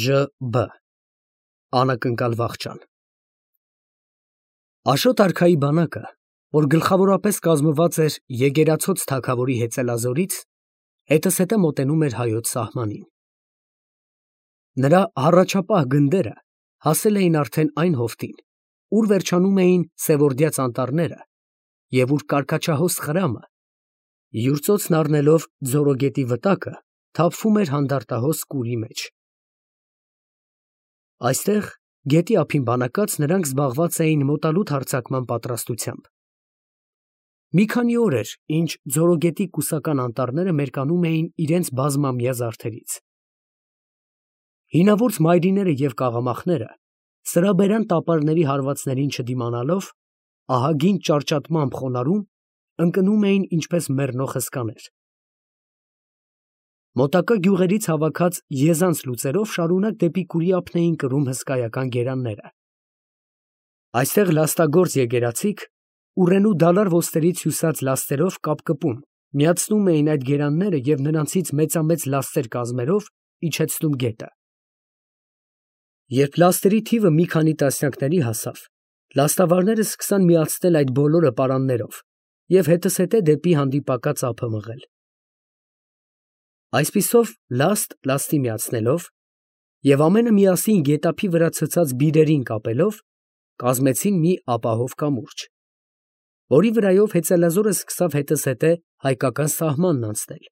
Ž.B. Անակնկալ վախճան։ Աշոտ արքայի բանակը, որ գլխավորապես կազմված էր Եգերացոց թագավորի հեծելազորից, հետզհետե մոտենում էր հայոց սահմանին։ Նրա հառաջապահ գնդերը հասել էին արդեն այն հովտին, ուր վերջանում էին Սևորդյաց անտառները և ուր կարկաչահոս խրամը, յուր ծոցն առնելով Ձորո գետի վտակը, թափվում էր հանդարտահոս կուրի մեջ։ Այստեղ, գետի ափին բանակած, նրանք զբաղված էին մոտալուտ հարձակման պատրաստությամբ։ Մի քանի օր էր, ինչ Ձորո գետի կուսական անտառները մերկանում էին իրենց բազմամյա զարդերից։ Հինավուրց մայրիները և կաղամախները, սրաբերան տապարների հարվածներին չդիմանալով, ահագին ճարճատմամբ խոնարհում, ընկնում էին ինչպես մեռնող հսկաներ։ Մոտակա գյուղերից հավաքած եզանց լուծերով շարունակ դեպի կուրի ափն էին կրում հսկայական գերանները։ Այստեղ լաստագործ եկեղեցիք, ուռենու դալար ոսկերից հյուսած լաստերով կապկպում, միացնում էին այդ գերանները և նրանցից մեծամեծ լաստեր կազմելով իջեցնում գետը։ Երբ լաստերի թիվը մի քանի տասնյակների հասավ, լաստավարները սկսան միացնել այդ բոլորը պարաններով և հետզհետե դեպի հանդիպակաց ափը մղել։ Այսպիսով, լաստ լաստի միացնելով և ամենը միասին գետափի վրա ցցած բիրերին կապելով, կազմեցին մի ապահով կամուրջ, որի վրայով հեծելազորը սկսավ հետզհետե հայկական սահմանն անցնել։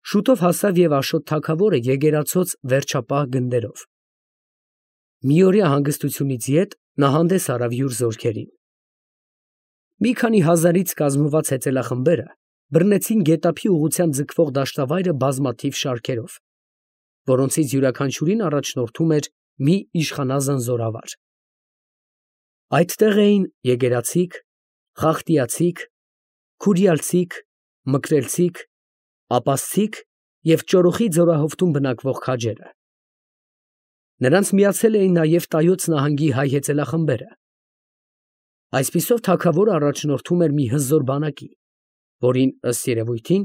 Շուտով հասավ և Աշոտ թագավորը եկեղեցոց վերջապահ գնդերով։ Միօրյա հանգստությունից ետ նա հանդես արավ յուր զորքերին։ Մի քանի հազարից կազմված հեծելախմբերը բռնեցին գետափի ուղղությամբ ձգվող դաշտավայրը բազմաթիվ շարքերով, որոնցից յուրաքանչյուրին առաջնորդում էր մի իշխանազան զորավար։ Այդտեղ էին եկեղեցիք, խախտիացիք, քուրյալցիք, մկրելցիք, ապասցիք և ճորոխի ձորահովտում բնակվող քաջերը։ Նրանց միացել էին նաև Տայոց նահանգի հայ հեծելախմբերը։ Այսպիսով թագավորը առաջնորդում էր մի հզոր բանակի, որին, ըստ երևույթին,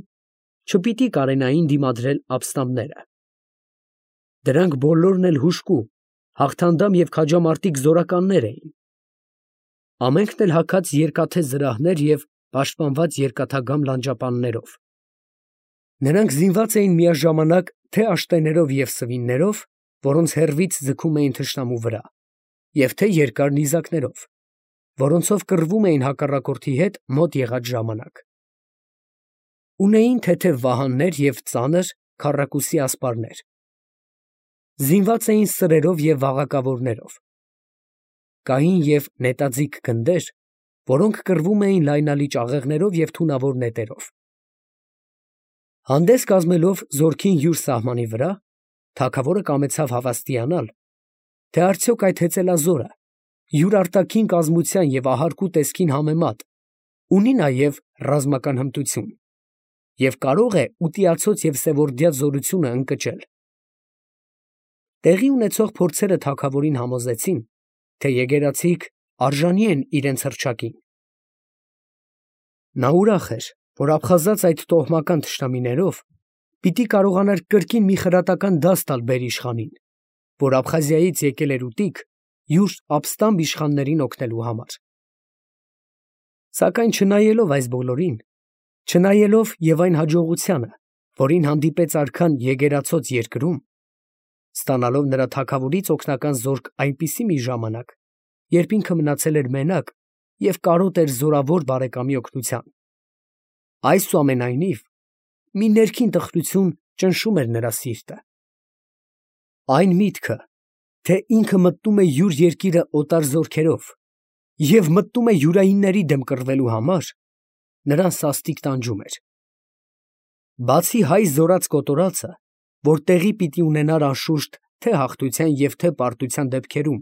չպիտի կարենային դիմադրել ապստամբները։ Դրանք բոլորն էլ հուժկու, հաղթանդամ և քաջամարտիկ զորականներ էին։ Ամենքն էլ հագած երկաթե զրահներ և պաշտպանված երկաթագամ լանջապաններով։ Նրանք զինված էին միաժամանակ թե աշտեներով և սվիններով, որոնց հեռվից ձգում էին թշնամու վրա, և թե երկար նիզակներով, որոնցով կռվում էին հակառակորդի հետ մոտ եղած ժամանակ։ Ունեին թեթև վահաններ և ծանր քառակուսի ասպարներ։ Զինված էին սրերով և վաղակավորներով։ Կային և նետաձիգ գնդեր, որոնք կռվում էին լայնալի ճաղեղներով և թունավոր նետերով։ Հանդես կազմելով զորքին յուր սահմանի վրա, թագավորը կամեցավ հավաստիանալ, թե արդյոք այդ հեծելազորը յուր արտաքին կազմության և ահարկու տեսքին համեմատ ունի նաև ռազմական հմտություն և կարո՞ղ է Ուտիացոց և Սևորդյաց զորությունը ընկճել։ Տեղի ունեցող փորձերը թագավորին համոզեցին, թե եկեղեցիք արժանի են իրենց հռչակին։ Նա ուրախ էր, որ ապխազած այդ տոհմական թշնամիներով պիտի կարողանար կրկին մի խրատական դաս տալ բերիշխանին, որ Աբխազիայից եկել էր ուտիկ յուր ապստամբ իշխաններին օգնելու համար։ Սակայն չնայելով այս բոլորին, չնայելով և այն հաջողությանը, որին հանդիպեց արքան Եկեղեցոց երկրում, ստանալով նրա թագավորից օգնական զորք այնպիսի մի ժամանակ, երբ ինքը մնացել էր մենակ և կարոտ էր զորավոր բարեկամի օգնության, այսուամենայնիվ, մի ներքին տխրություն ճնշում էր նրա սիրտը։ Այն միտքը, թե ինքը մտնում է յուր երկիրը օտար զորքերով և մտնում է յուրայինների դեմ կռվելու համար, նրան սաստիկ տանջում էր։ Բացի հայ զորած կոտորածը, որ տեղի պիտի ունենար անշուշտ թե հաղթության և թե պարտության դեպքերում,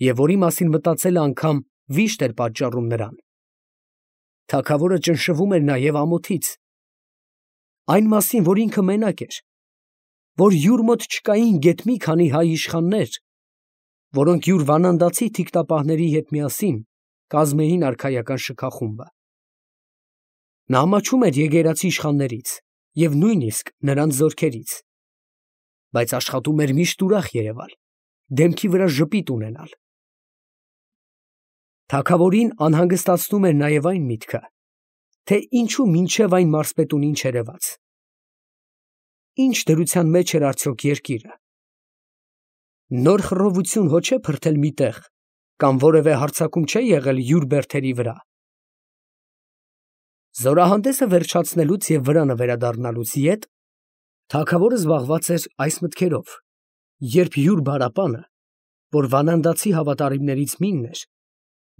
և որի մասին մտածելը անգամ վիշտ էր պատճառում նրան, թագավորը ճնշվում էր նաև ամոթից, այն մասին, որ ինքը մենակ էր, որ յուր մոտ չկային գեթ մի քանի հայ իշխաններ, որոնք յուր վանանդացի թիկտապահների հետ միասին կազմեին արքայական շքախումբը։ Նա ամաչում էր եկեղեցի իշխաններից և նույնիսկ նրանց զորքերից, բայց աշխատում էր միշտ ուրախ երևալ, դեմքի վրա ժպիտ ունենալ։ Թագավորին անհանգստացնում էր նաև այն միտքը, թե ինչու մինչև այն մարզպետունին չերևաց։ Ինչ դրության մեջ էր արդյոք երկիրը։ Նոր խռովություն հո չէ փրթել մի տեղ, կամ որևէ հարձակում չէ եղել յուր բերդերի վրա։ Զորահանդեսը վերջացնելուց և վրանը վերադառնալուց յետ թագավորը զբաղված էր այս մտքերով, երբ յուր բարապանը, որ վանանդացի հավատարիմներից մինն էր,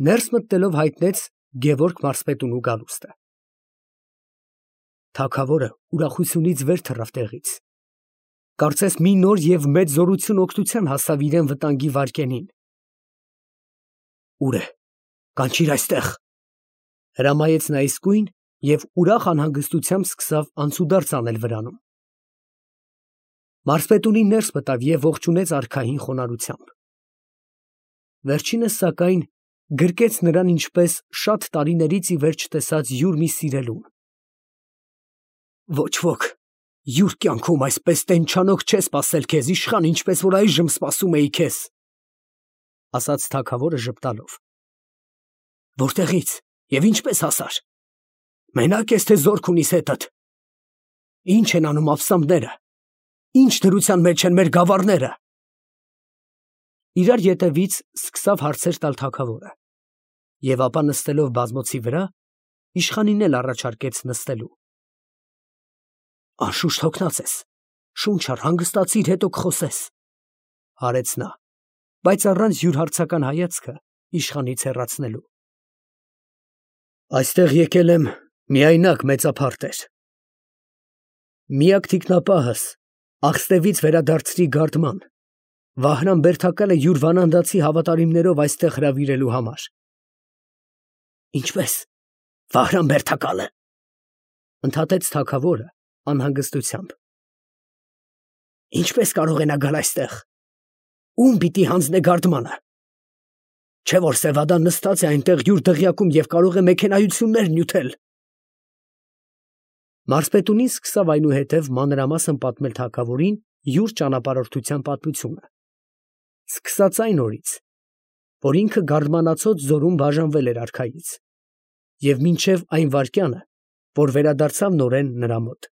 ներս մտնելով հայտնեց Գևորգ մարզպետունու գալուստը։ Թագավորը ուրախությունից վեր թռավ տեղից։ Կարծես մի նոր և մեծ զորություն օգնության հասավ իրեն վտանգի վայրկենին։ Ուր է, կանչիր այստեղ, հրամայեց նա իսկույն և ուրախ անհանգստությամբ սկսավ անցուդարձ անել վրանում։ Մարզպետունին ներս մտավ և ողջունեց արքային խոնարհությամբ։ Վերջինս, սակայն, գրկեց նրան ինչպես շատ տարիներից ի վեր չտեսած յուր մի սիրելուն։ Ոչ ոք, յուր կյանքում այսպես տենչանոք չէ սպասել քեզ, իշխան, ինչպես որ այժմ սպասում էի քեզ, ասաց թագավորը ժպտալով։ Որտեղից և ինչպես հասար։ Մենակ ես թե զորք ունիս հետդ։ Ինչ են անում ապստամբները, ինչ դրության մեջ են մեր գավառները։ Իրար ետևից սկսավ հարցեր տալ թագավորը, և ապա նստելով բազմոցի վրա, իշխանին էլ առաջարկեց նստելու։ Անշուշտ հոգնած ես, շունչ առ, հանգստացիր, հետո կխոսես, հարեց նա, բայց առանց յուր հարցական հայացքը իշխանից հեռացնելու։ Այստեղ եկել եմ միայնակ մեծափարտեր։ Միակ թիկնապահս Աղստևից վերադարձրի գարդման, Վահրամ բերդակալը յուր վանանդացի հավատարիմներով այստեղ հրավիրելու համար։ Ինչպես, Վահրամ բերդակալը, ընդհատեց թագավորը անհանգստությամբ։ Ինչպես կարող է նա գալ այստեղ, ում պիտի հանձնե գարդմանը։ Չէ որ Սևադան նստած է այնտեղ յուր դղյակում և կարող է մեքենայություններ նյութել։ Մարզպետունին սկսավ այնուհետև մանրամասն պատմել թագավորին յուր ճանապարհորդության պատմությունը, սկսած այն օրից, որ ինքը գարդմանացած ձորում բաժանվել էր արքայից, և մինչև այն վայրկյանը, որ վերադարձավ նորեն նրա մոտ։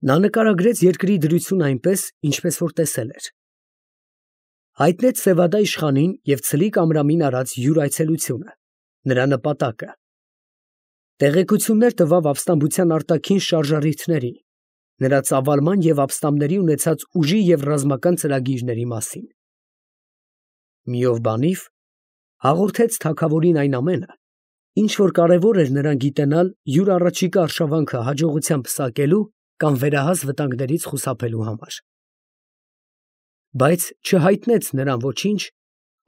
Նա նկարագրեց երկրի դրությունը այնպես, ինչպես որ տեսել էր։ Հայտնեց Սևադա իշխանին և Ցլիկ Ամրամին արած յուր այցելությունը, նրա նպատակը։ Տեղեկություններ տվավ ապստամբության արտաքին շարժառիթների, նրա ծավալման և ապստամբների ունեցած ուժի և ռազմական ծրագիրների մասին։ Միով բանիվ հաղորդեց թագավորին այն ամենը, ինչ որ կարևոր էր նրան գիտենալ յուր առաջիկա արշավանքը հաջողությամբ պսակելու կամ վերահաս վտանգներից խուսափելու համար։ Բայց չհայտնեց նրան ոչինչ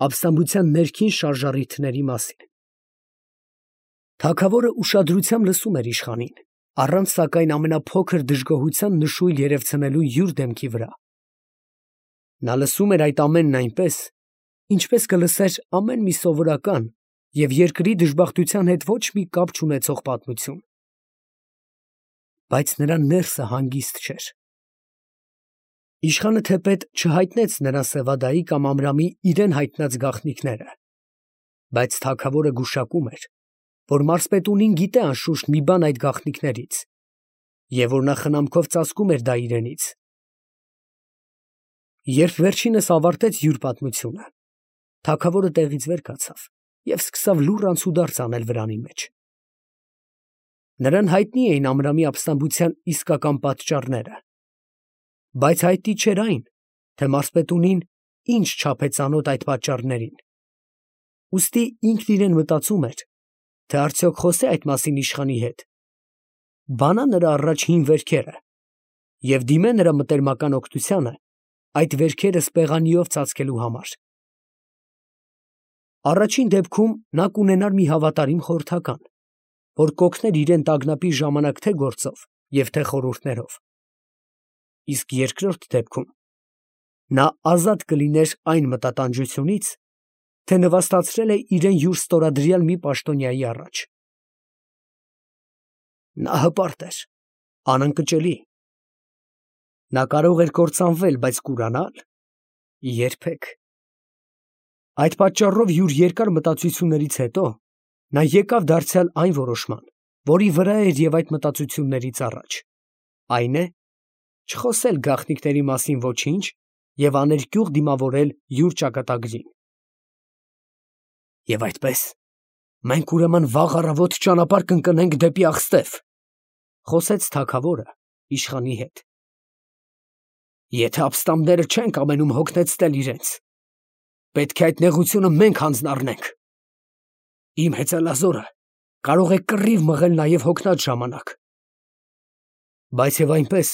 ապստամբության ներքին շարժառիթների մասին։ Թագավորը ուշադրությամբ լսում էր իշխանին, առանց սակայն ամենափոքր դժգոհության նշույլ երևցնելու յուր դեմքի վրա։ Նա լսում էր այդ ամենն այնպես, ինչպես կլսեր ամեն մի սովորական և երկրի դժբախտության հետ ոչ մի կապ չունեցող պատմություն։ Բայց նրա ներսը հանգիստ չէր։ Իշխանը թեպետ չհայտնեց նրան Սևադայի կամ Ամրամի իրեն հայտնած գաղտնիքները, բայց թագավորը գուշակում էր, որ մարզպետունին գիտե անշուշտ մի բան այդ գաղտնիքներից, և որ նա խնամքով ծածկում էր դա իրենից։ Երբ վերջինս ավարտեց յուր պատմությունը, թագավորը տեղից վեր կացավ և սկսավ լուռ անցուդարձ անել վրանի մեջ։ Նրան հայտնի էին Ամրամի ապստամբության իսկական պատճառները, բայց հայտնի չէր այն, թե մարզպետունին ինչ չափ է ծանոթ այդ պատճառներին։ Ուստի ինքն իրեն մտածում էր, թե արդյոք խոսե այդ մասին իշխանի հետ, բանա նրա առաջ հին վերքերը և դիմե նրա մտերմական օգնությանը այդ վերքերը սպեղանիով ծածկելու համար։ Առաջին դեպքում նա կունենար մի հավատարիմ խորհրդական, որ կօգներ իրեն տագնապի ժամանակ թե գործով և թե խորհուրդներով։ Իսկ երկրորդ դեպքում նա ազատ կլիներ այն մտատանջությունից, թե նվաստացրել է իրեն յուր ստորադրյալ մի պաշտոնյայի առաջ։ Նա հպարտ էր, անընկճելի, Նա կարող էր կործանվել, բայց կուրանալ երբեք։ Այդ պատճառով յուր երկար մտածություններից հետո նա եկավ դարձյալ այն որոշման, որի վրա էր և այդ մտածություններից առաջ, այն է, չխոսել գաղտնիքների մասին ոչինչ և աներկյուղ դիմավորել յուր ճակատագրին։ Եվ այդպես, մենք ուրեմն վաղ առավոտ ճանապարհ կընկնենք դեպի Ախստեֆ, խոսեց թագավորը իշխանի հետ։ Եթե ապստամբները չեն կամենում հոգնեցնել իրենց, պետք է այդ նեղությունը մենք հանձնառնենք։ Իմ հեծելազորը կարող է կռիվ մղել նաև հոգնած ժամանակ։ Բայց և այնպես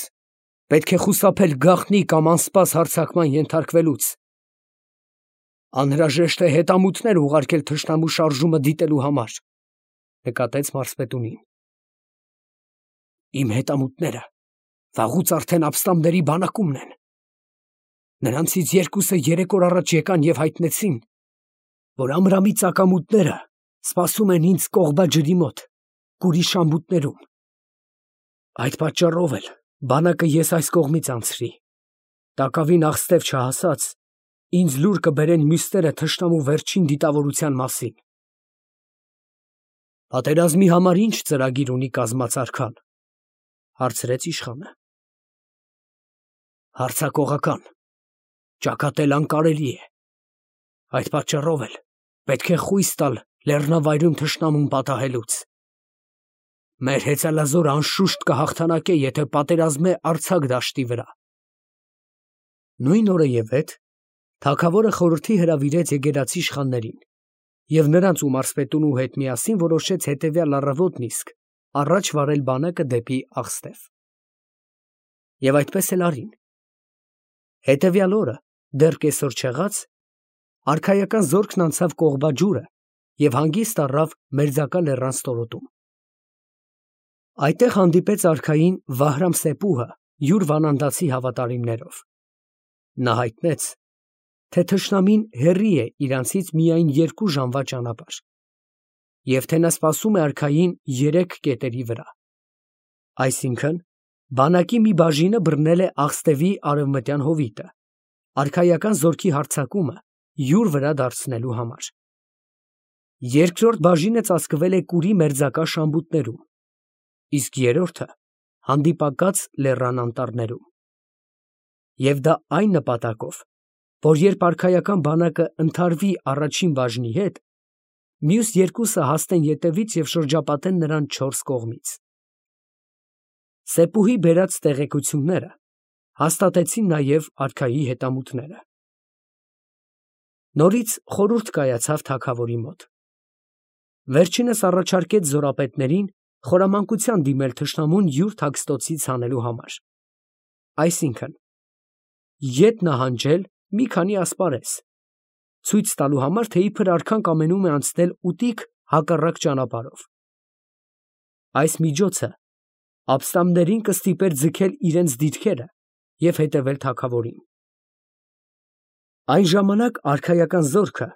պետք է խուսափել գաղտնի կամ անսպաս հարձակման ենթարկվելուց։ Անհրաժեշտ է հետամուտներ ուղարկել թշնամու շարժումը դիտելու համար, նկատեց մարզպետունին։ Իմ հետամուտները վաղուց արդեն ապստամբների բանակումն են։ Նրանցից երկուսը 3 օր առաջ եկան և հայտնեցին, որ Ամրամի ծակամուտները սպասում են ինձ Կողբա ջրի մոտ, Կուրի շամբուտներում։ Այդ պատճառով էլ բանակը ես այս կողմից անցրի, տակավին Ախստեֆ չհասած, ինձ լուր կբերեն մյուսները թշնամու վերջին դիտավորության մասին։ Պատերազմի համար ի՞նչ ծրագիր ունի կազմած արքան, հարցրեց իշխանը։ Հարձակողական, ճակատել անկարելի է։ Այդ պատճառով էլ պետք է խույս տալ լեռնավայրում թշնամուն պատահելուց։ Մեր հեծելազորը անշուշտ կհաղթանակե, եթե պատերազմե արձակ դաշտի վրա։ Նույն օրը և հետ թագավորը խորհրդի հրավիրեց եկեղեցի իշխաններին և նրանց ու մարզպետունու հետ միասին որոշեց հետևյալ առավոտն իսկ առաջ վարել բանակը դեպի Ախստեֆ։ Եվ այդպես էլ արին։ Հետևյալ օրը, դեռ կեսօր չեղած, արքայական զորքն անցավ Կողբա ջուրը և հանգիստ առավ Մերձակա լեռան ստորոտում։ Այդտեղ հանդիպեց արքային Վահրամ֊Սեպուհը յուր վանանդացի հավատարիմներով։ Նա հայտնեց, թե թշնամին հեռի է իրանցից միայն 2 ժամվա ճանապարհ, և թե նա սպասում է արքային 3 կետերի վրա։ Այսինքն, բանակի մի բաժինը բռնել է Ախստեֆի արևմտյան հովիտը, արքայական զորքի հարձակումը յուր վրա դարձնելու համար։ Երկրորդ բաժինը ծածկվել է Կուրի մերձակա շամբուտներում, իսկ երրորդը հանդիպակաց լեռան անտառներում։ Եվ դա այն նպատակով, որ երբ արքայական բանակը ընդհարվի առաջին բաժնի հետ, մյուս երկուսը հասնեն ետևից և շրջապատեն նրան 4 կողմից։ Սեպուհի բերած տեղեկությունները հաստատեցին նաև արքայի հետամուտները։ Նորից խորհուրդ կայացավ թագավորի մոտ։ Վերջինս առաջարկեց զորապետներին խորամանկության դիմել թշնամուն յուր թաքստոցից հանելու համար։ Այսինքն, ետ նահանջել մի քանի ասպարեզ, ցույց տալու համար, թե իբր արքան կամենում է անցնել ուտիք հակառակ ճանապարհով։ Այս միջոցը ապստամբներին կստիպեր ձգել իրենց դիրքերը և հետևել թագավորին։ Այն ժամանակ արքայական զորքը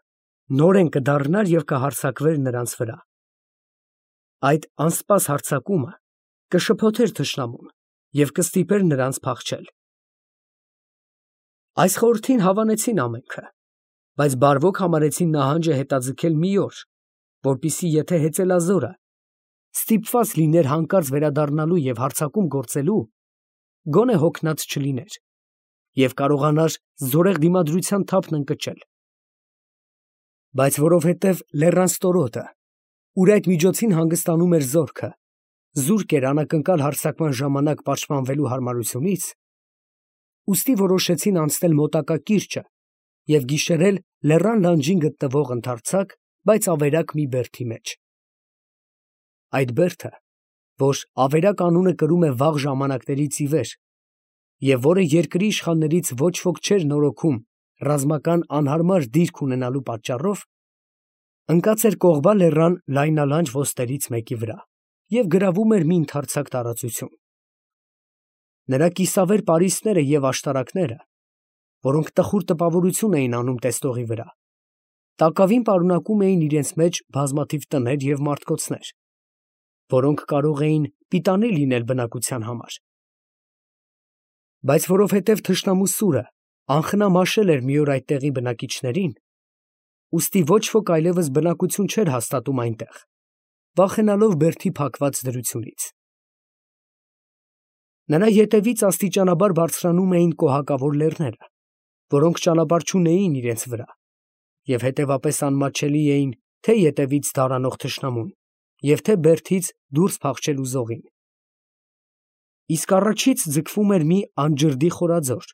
նորեն կդառնար և կհարձակվեր նրանց վրա։ Այդ անսպաս հարձակումը կշփոթեր թշնամուն և կստիպեր նրանց փախչել։ Այս խորհրդին հավանեցին ամենքը, բայց բարվոք համարեցին նահանջը հետաձգել մի օր, որպեսզի եթե հեծելազորը ստիպված լիներ հանկարծ վերադառնալու և հարձակում գործելու, գոնե հոգնած չլիներ և կարողանար զորեղ դիմադրության թափն ընկճել։ Բայց որովհետև լեռան ստորոտը, ուր այդ միջոցին հանգստանում էր զորքը, զուրկ էր անակնկալ հարձակման ժամանակ պաշտպանվելու հարմարությունից, ուստի որոշեցին անցնել մոտակա կիրճը և գիշերել լեռան լանջին գտնվող ընդարձակ, բայց ավերակ մի բերդի մեջ։ Այդ բերդը, որ ավերակ անունը կրում է վաղ ժամանակներից ի վեր, և որը երկրի իշխաններից ոչ ոք չէր նորոգում ռազմական անհարմար դիրք ունենալու պատճառով, ընկած էր Կողբա լեռան լայնալանջ ոսկերից մեկի վրա և գրավում էր մի ընդարձակ տարածություն։ Նրա կիսավեր պարիսպները և աշտարակները, որոնք տխուր տպավորություն էին անում տեսնողի վրա, տակավին պարունակում էին իրենց մեջ բազմաթիվ տներ և մարդկոցներ, որոնք կարող էին պիտանի լինել բնակության համար։ Բայց որովհետև թշնամու սուրը անխնա մաշել էր մի օր այդ տեղի բնակիչներին, ուստի ոչ ոք այլևս բնակություն չէր հաստատում այնտեղ, վախենալով բերդի փակված դրությունից։ Նրա ետևից աստիճանաբար բարձրանում էին կոհակավոր լեռները, որոնք ճանապարհ չունեին իրենց վրա, և հետևապես անմատչելի էին թե ետևից դարանող թշնամուն, և թե բերդից դուրս փախչելու զողին։ Իսկ առաջից ձգվում էր մի անջրդի խորաձոր,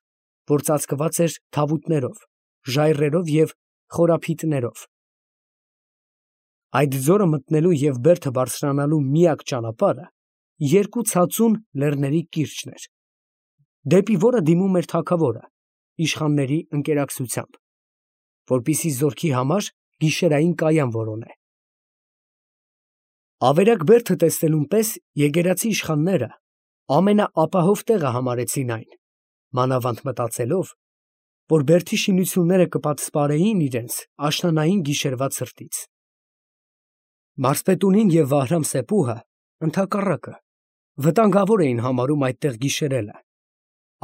որ ծածկված էր թավուտներով, ժայռերով և խորափիտներով։ Այդ ձորը մտնելու և բերդը բարձրանալու միակ ճանապարհը երկու ցածուն լեռների կիրճն էր, դեպի որը դիմում էր թագավորը իշխանների ընկերակցությամբ, որպեսզի զորքի համար գիշերային կայան որոնե։ Ավերակ բերդը տեսնելուն պես եկեղեցի իշխանները ամենաապահով տեղը համարեցին այն, մանավանդ մտածելով, որ բերդի շինությունները կպատսպարեին իրենց աշնանային գիշերվա ցրտից։ Մարզպետունին և Վահրամ-Սեփուհը ընդհակառակը վտանգավոր էին համարում այդտեղ գիշերելը,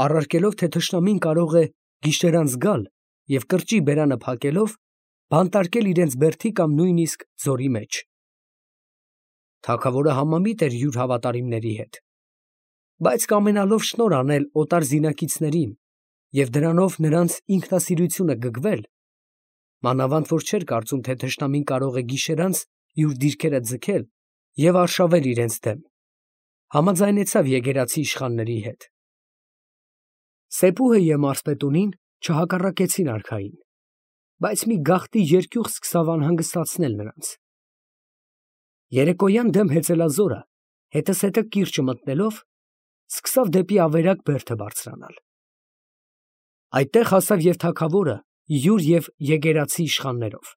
առարկելով, թե թշնամին կարող է գիշերանց գալ և կրճի բերանը փակելով բանտարկել իրենց բերդի կամ նույնիսկ ձորի մեջ։ Թագավորը համամիտ էր յուր հավատարիմների հետ, բայց կամենալով շնորհ անել օտար զինակիցներին և դրանով նրանց ինքնասիրությունը գգվել, մանավանդ որ չէր կարծում, թե թշնամին կարող է գիշերանց յուր դիրքերը ձգել և արշավել իրենց դեմ, համաձայնեցավ եկեղեցի իշխանների հետ։ Սեփուհը և մարզպետունին չհակառակեցին արքային, բայց մի գաղտնի երկյուղ սկսավ անհանգստացնել նրանց։ Երեկոյան դեմ հեծելազորը հետզհետե կիրճը մտնելով, սկսավ դեպի ավերակ բերդը բարձրանալ։ Այդտեղ հասավ և թագավորը յուր և եկեղեցի իշխաններով։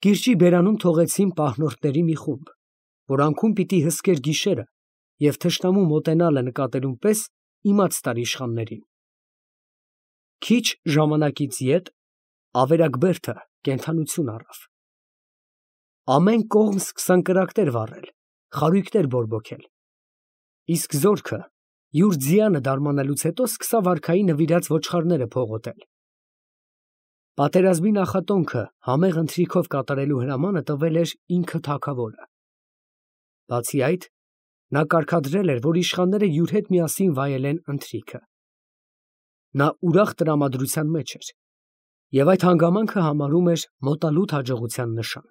Կիրճի բերանում թողեցին պահնորդների մի խումբ, որ անքուն պիտի հսկեր գիշերը և թշնամու մոտենալը նկատելուն պես իմաց տար իշխաններին։ Քիչ ժամանակից ետ ավերակ բերդը կենդանություն առավ։ Ամեն կողմ սկսան կրակներ վառել, խարույկներ բորբոքել, իսկ զորքը յուր ձիանը դարմանալուց հետո սկսավ արքայի նվիրած ոչխարները փողոտել։ Պատերազմի նախատոնքը համեղ ընթրիքով կատարելու հրամանը տվել էր ինքը թագավորը։ Բացի այդ, նա կարգադրել էր, որ իշխանները յուր հետ միասին վայելեն ընթրիքը։ Նա ուրախ տրամադրության մեջ էր և այդ հանգամանքը համարում էր մոտալուտ հաջողության նշան։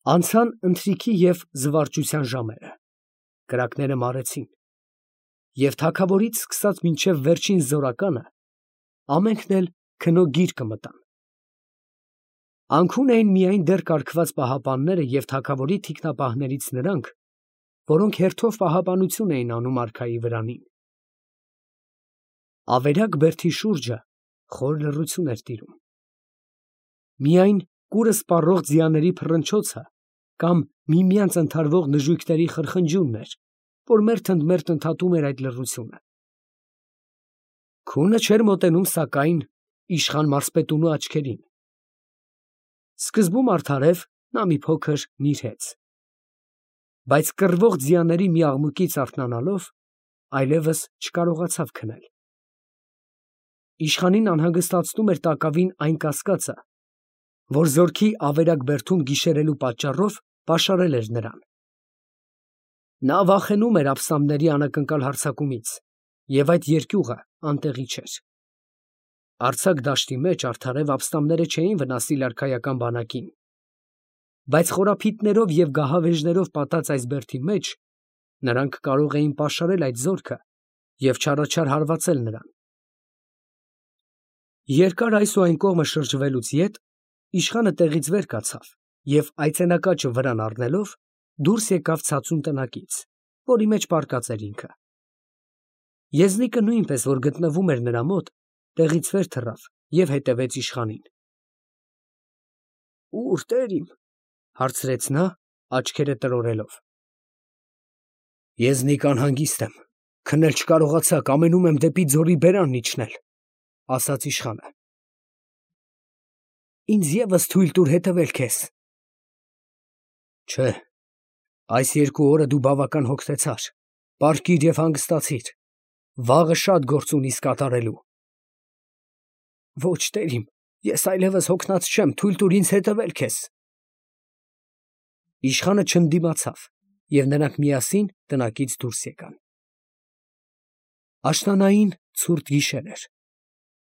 Անցան ընթրիքի և զվարճության ժամերը, կրակները մարեցին, և թագավորից սկսած մինչև վերջին զորականը ամենքն էլ քնո գիրկը մտան։ Անքուն էին միայն դեռ կարգված պահապանները և թագավորի թիկնապահներից նրանք, որոնք հերթով պահապանություն էին անում արքայի վրանին։ Ավերակ բերդի շուրջը խոր լռություն էր տիրում։ Միայն կուրը սպառող ձիաների փռնչոցը կամ միմյանց ընդհարվող նժույգների խրխնջյունն էր, որ մերթ-ընդ-մերթ ընդհատում էր այդ լռությունը։ Քունը չէր մոտենում, սակայն, իշխան մարզպետունու աչքերին։ Սկզբում արդարև նա մի փոքր նիրհեց, բայց կռվող ձիաների մի աղմուկից արթնանալով այլևս չկարողացավ քնել։ Իշխանին անհանգստացնում էր տակավին այն կասկածը, որ զորքի ավերակ բերդում գիշերելու պատճառով պաշարել էր նրան։ Նա վախենում էր աբստամբների անակնկալ հարձակումից, և այդ երկյուղը անտեղի չէր։ Արձակ դաշտի մեջ արդարև աբստամբները չէին վնասիլ արքայական բանակին, բայց խորափիտներով և գահավեժներով պատած այս բերդի մեջ նրանք կարող էին պաշարել այդ զորքը և չարաչար հարվածել նրան։ Երկար այս ու այն կողմը շրջվելուց ետ իշխանը տեղից վեր կացավ և այծենակաճը վրան առնելով դուրս եկավ ցածուն տնակից, որի մեջ պառկած էր ինքը։ Եզնիկը նույնպես, որ գտնվում էր նրա մոտ, տեղից վեր թռավ և հետևեց իշխանին։ «Ո՞ւր, տեր իմ», հարցրեց նա, աչքերը տրորելով։ «Եզնիկ անհանգիստ եմ, քնել չկարողացա, կամենում եմ դեպի ձորի բերանն իջնել», ասաց իշխանը։ «Ինձ ևս թույլ տուր հետևել քեզ»։ «Չէ, այս երկու օրը դու բավական հոգնեցար, պառկիր և հանգստացիր, Վաղը շատ գործ ունիս կատարելու։ Ոչ, տերիմ, ես այլևս հոգնած չեմ, թույլ տուր ինձ հետևել քեզ։ Իշխանը չընդդիմացավ, և նրանք միասին տնակից դուրս եկան։ Աշնանային ցուրտ գիշեր էր,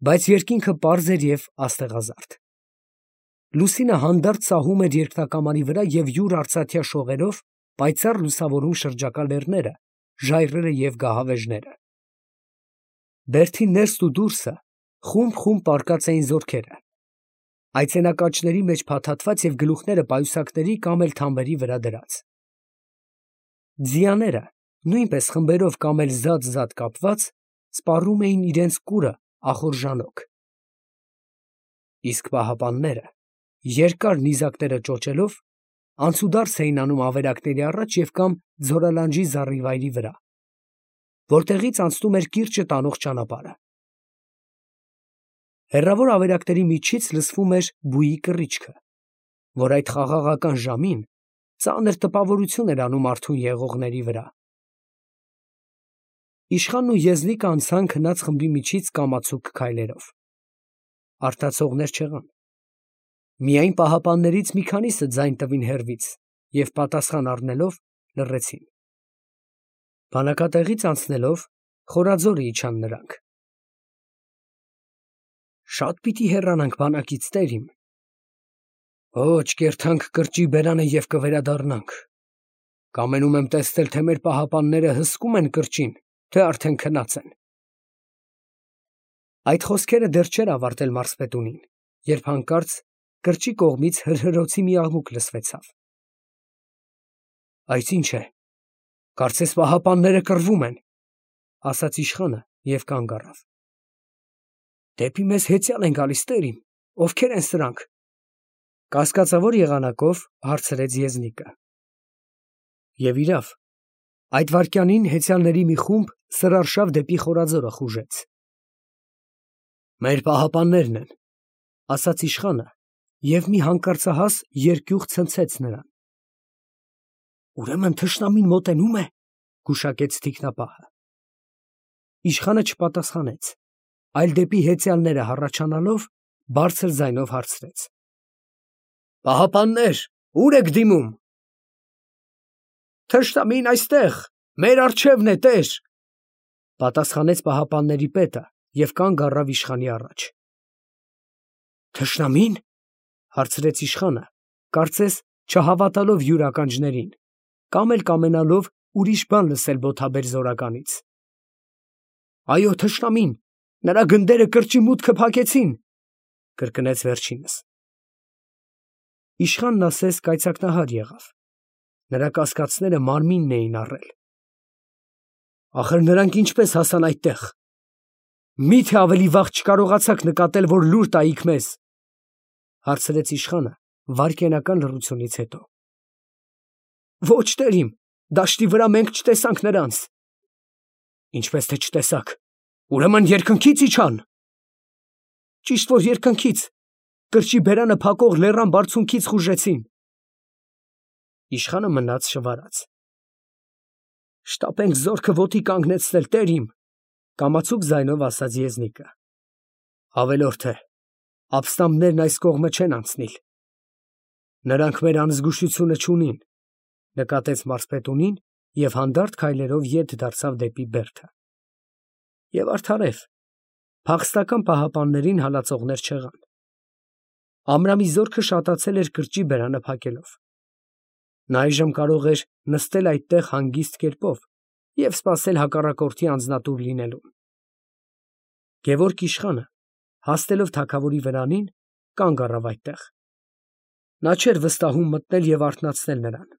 բայց երկինքը պարզ էր և աստեղազարդ։ Լուսինը հանդարտ սահում էր երկնակամարի վրա և յուր արծաթյա շողերով պայծառ լուսավորում շրջակա լեռները, ժայռերը և գահավեժները։ Բերդի ներսն ու դուրսը խումբ պառկած էին զորքերը, այծենակաճների մեջ փաթաթված և գլուխները պայուսակների կամ էլ թամբերի վրա դրած։ Ձիաները, նույնպես խմբերով կամ էլ զատ կապված, սպառում էին իրենց կուրը ախորժանոք։ Իսկ պահապանները, երկար նիզակները ճոճելով, անցուդարձ էին անում ավերակների առաջ և կամ ձորալանջի զառիվայրի վրա, որտեղից անցնում էր կիրճը տանող ճանապարհը։ Հեռավոր ավերակների միջից լսվում էր բուի կռիչքը, որ այդ խաղաղական ժամին ծանր տպավորություն էր անում արթուն եղողների վրա։ Իշխանն ու եզնիկը անցան քնած խմբի միջից կամացուկ քայլերով։ Արտացողներ չեղան։ Միայն պահապաններից մի քանիսը ձայն տվին հեռվից և պատասխան առնելով լռեցին։ Բանակատեղից անցնելով խորաձորը իջան նրանք։ Շատ պիտի հեռանանք բանակից, տերիմ։ Ոչ, կերթանք կրճի բերանը և կվերադառնանք։ Կամենում եմ տեսնել, թե մեր պահապանները հսկում են կրճին, թե արդեն քնած են։ Այդ խոսքերը դեռ չէր ավարտել մարզպետունին, երբ հանկարծ կրճի կողմից հրհրոցի մի աղմուկ լսվեցավ։ Այդ ի՞նչ է, կարծես պահապանները կռվում են, ասաց իշխանը և կանգ առավ։ Դեպի մեզ հեծյալ են գալիս, տերիմ, ովքեր են սրանք։ Կասկածավոր եղանակով հարցրեց եզնիկը։ Եվ իրավ, այդ վայրկյանին հեծյալների մի խումբ սրարշավ դեպի խորաձորը խուժեց։ Մեր պահապաններն են, ասաց իշխանը և մի հանկարծահաս երկյուղ ցնցեց նրան։ Ուրեմն թշնամին մոտենում է, գուշակեց թիկնապահը։ Իշխանը չպատասխանեց, այլ դեպի հեծյալները հառաչանալով բարձր ձայնով հարցրեց. Պահապաններ, ո՞ւր եք դիմում։ Թշնամին այստեղ, մեր առջևն է, տեր, պատասխանեց պահապանների պետը և կանգ առավ իշխանի առաջ։ Թշնամի՞ն, հարցրեց իշխանը, կարծես չհավատալով յուր ականջներին, կամ էլ կամենալով ուրիշ բան լսել բոթաբեր զորականից։ Այո, թշնամին, նրա գնդերը կրճի մուտքը փակեցին, կրկնեց վերջինս։ Իշխանն ասես կայծակնահար եղավ, նրա կասկածները մարմինն էին առել։ Ախր նրանք ինչպես հասան այդտեղ։ Մի՞թե ավելի վաղ չկարողացաք նկատել, որ լուր տայիք մեզ, հարցրեց իշխանը վայրկենական լռությունից հետո։ Ոչ, տերիմ, դաշտի վրա մենք չտեսանք նրանց։ Ինչպես թե չտեսաք, ուրեմն երկնքից իջան։ Ճիշտ որ երկնքից, կրճի բերանը փակող լեռան բարձունքից խուժեցին։ Իշխանը մնաց շվարած։ Շտապենք զորքը ոտի կանգնեցնել, տերիմ, կամացուկ ձայնով ասաց եզնիկը։ Ավելորդ է, ապստամբներն այս կողմը չեն անցնիլ։ Նրանք մեր անզգուշությունը չունին, նկատեց մարզպետունին և հանդարտ քայլերով ետ դարձավ դեպի բերդը։ Եվ արդարև, փախստական պահապաններին հալածողներ չեղան։ Ամրամի զորքը շատացել էր կրճի բերանը փակելով։ Նա այժմ կարող էր նստել այդտեղ հանգիստ կերպով և սպասել հակառակորդի անձնատուր լինելուն։ Գևորգ իշխանը, հասնելով թագավորի վրանին, կանգ առավ այդտեղ։ Նա չէր վստահում մտնել և արթնացնել նրան։